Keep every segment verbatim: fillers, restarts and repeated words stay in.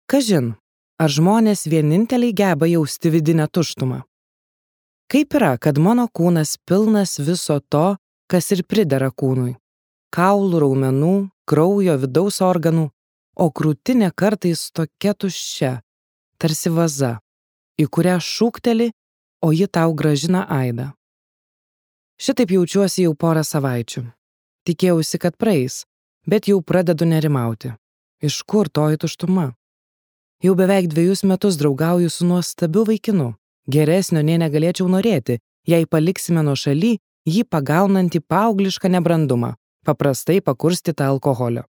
Kažin, ar žmonės vieninteliai geba jausti vidinę tuštumą? Kaip yra, kad mano kūnas pilnas viso to, kas ir pridera kūnui? Kaulų, raumenų, kraujo, vidaus organų, o krūtinė kartais tokia tuščia, tarsi vaza, į kurią šūkteli, o ji tau gražina aidą. Šitaip jaučiuosi jau porą savaičių. Tikėjausi, kad praeis, bet jau pradedu nerimauti. Iš kur toji tuštuma? Jau beveik dviejus metus draugauju su nuostabiu vaikinu. Geresnio nei negalėčiau norėti, jei paliksime nuo šaly jį pagaunantį paauglišką nebrandumą, paprastai pakurstytą alkoholio.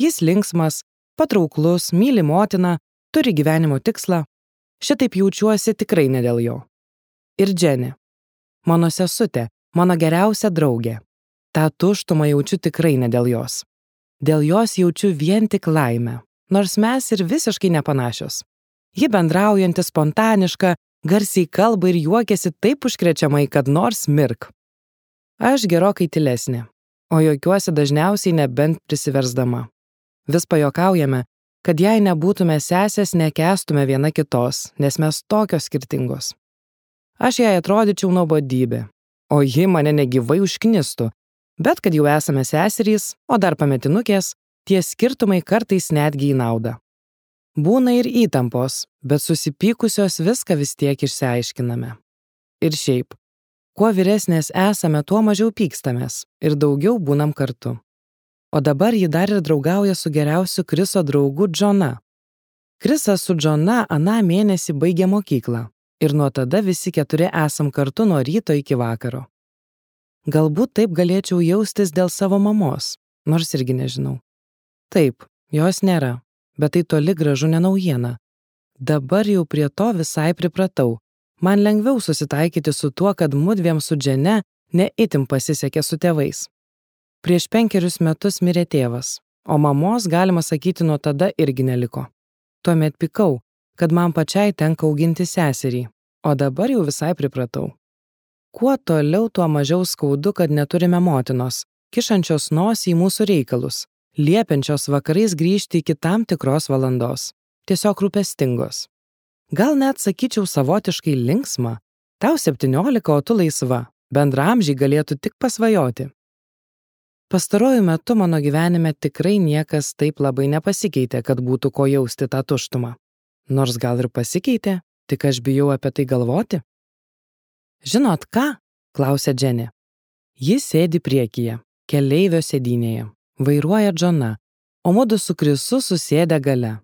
Jis linksmas, patrauklus, myli motiną, turi gyvenimo tikslą. Šitaip jaučiuosi tikrai ne dėl jo. Ir Dženė, mano sesutė, mano geriausia draugė. Ta tuštumą jaučiu tikrai ne dėl jos. Dėl jos jaučiu vien tik laimę, nors mes ir visiškai nepanašios. Ji bendraujanti, spontaniška, garsiai kalba ir juokiasi taip užkrečiamai, kad nors mirk. Aš gerokai tylesnė, o juokiuosi dažniausiai nebent prisiversdama. Vis pajuokaujame, kad jei nebūtume sesės, nekęstume viena kitos, nes mes tokios skirtingos. Aš jai atrodyčiau nuobodybė, o ji mane negyvai užknistų, bet kad jau esame seserys, o dar pametinukės, tie skirtumai kartais netgi į naudą. Būna ir įtampos, bet susipykusios viską vis tiek išsiaiškiname. Ir šiaip, kuo vyresnės esame, tuo mažiau pykstamės ir daugiau būnam kartu. O dabar ji dar ir draugauja su geriausiu Kriso draugu Džona. Krisas su Džona aną mėnesį baigė mokyklą ir nuo tada visi keturi esam kartu nuo ryto iki vakaro. Galbūt taip galėčiau jaustis dėl savo mamos, nors irgi nežinau. Taip, jos nėra, bet tai toli gražu ne naujiena. Dabar jau prie to visai pripratau. Man lengviau susitaikyti su tuo, kad mudviem su Džene ne itin pasisekė su tėvais. Prieš penkerius metus mirė tėvas, o mamos, galima sakyti, nuo tada irgi neliko. Tuomet pykau, kad man pačiai tenka auginti seserį, o dabar jau visai pripratau. Kuo toliau, tuo mažiau skaudu, kad neturime motinos, kišančios nosį į mūsų reikalus, liepiančios vakarais grįžti iki tam tikros valandos, tiesiog rūpestingos. Gal net sakyčiau savotiškai linksma, tau septyniolika, o tu laisva, bendraamžiai galėtų tik pasvajoti. Pastaruoju metu mano gyvenime tikrai niekas taip labai nepasikeitė, kad būtų ko jausti tą tuštumą. Nors gal ir pasikeitė, tik aš bijau apie tai galvoti. Žinot ką? Klausia Dženė. Jis sėdi priekyje, keleivio sėdynėje, vairuoja Džona, o mudu su Krisu susėdę gale.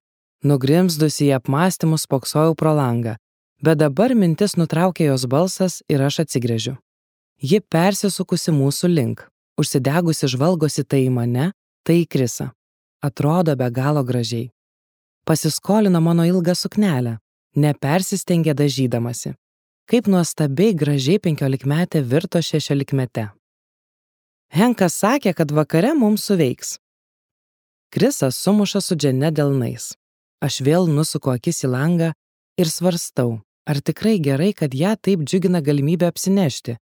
Nugrimzdusi į apmąstymus spoksojau pro langą, bet dabar mintis nutraukė jos balsas ir aš atsigręžiu. Ji persisukusi mūsų link, užsidegusi žvalgosi tai į mane, tai į Krisą. Atrodo be galo gražiai. Pasiskolino mano ilgą suknelę, nepersistengė dažydamasi. Kaip nuostabiai gražiai penkiolikmetė virto šešiolikmete. Henkas sakė, kad vakare mums suveiks. Krisas sumuša su Džene delnais. Aš vėl nusuku akis į langą ir svarstau, ar tikrai gerai, kad ją taip džiugina galimybė apsinešti.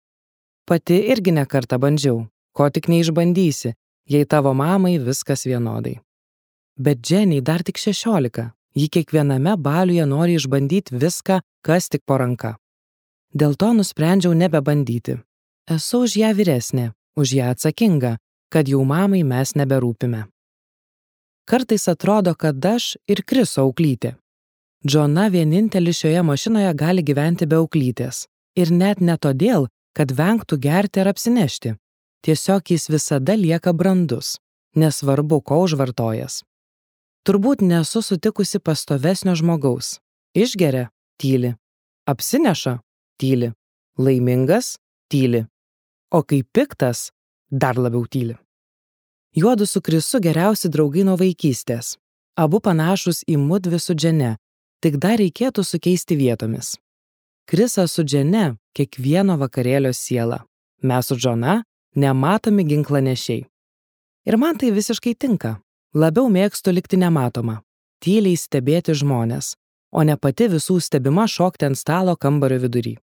Pati irgi ne kartą bandžiau, ko tik neišbandysi, jei tavo mamai viskas vienodai. Bet Dženiai dar tik šešiolika, ji kiekviename baliuje nori išbandyti viską, kas tik po ranka. Dėl to nusprendžiau nebebandyti. Esu už ją vyresnė, už ją atsakinga, kad jau mamai mes neberūpime. Kartais atrodo, kad aš ir Kriso auklytė. Džona vienintelis šioje mašinoje gali gyventi be auklytės. Ir net ne todėl, kad vengtų gerti ar apsinešti. Tiesiog jis visada lieka brandus, nesvarbu, ko užvartojas. Turbūt nesu sutikusi pastovesnio žmogaus. Išgeria – tyli. Apsineša – tyli. Laimingas – tyli. O kai piktas – dar labiau tyli. Juodu su Krisu geriausi draugai nuo vaikystės. Abu panašus į mudvi su Džene, tik dar reikėtų sukeisti vietomis. Krisas su Džene kiekvieno vakarėlio siela. Mes su Džona nematomi ginklanešiai. Ir man tai visiškai tinka. Labiau mėgstu likti nematoma, tyliai stebėti žmones, o ne pati visų stebima šokti ant stalo kambario vidury.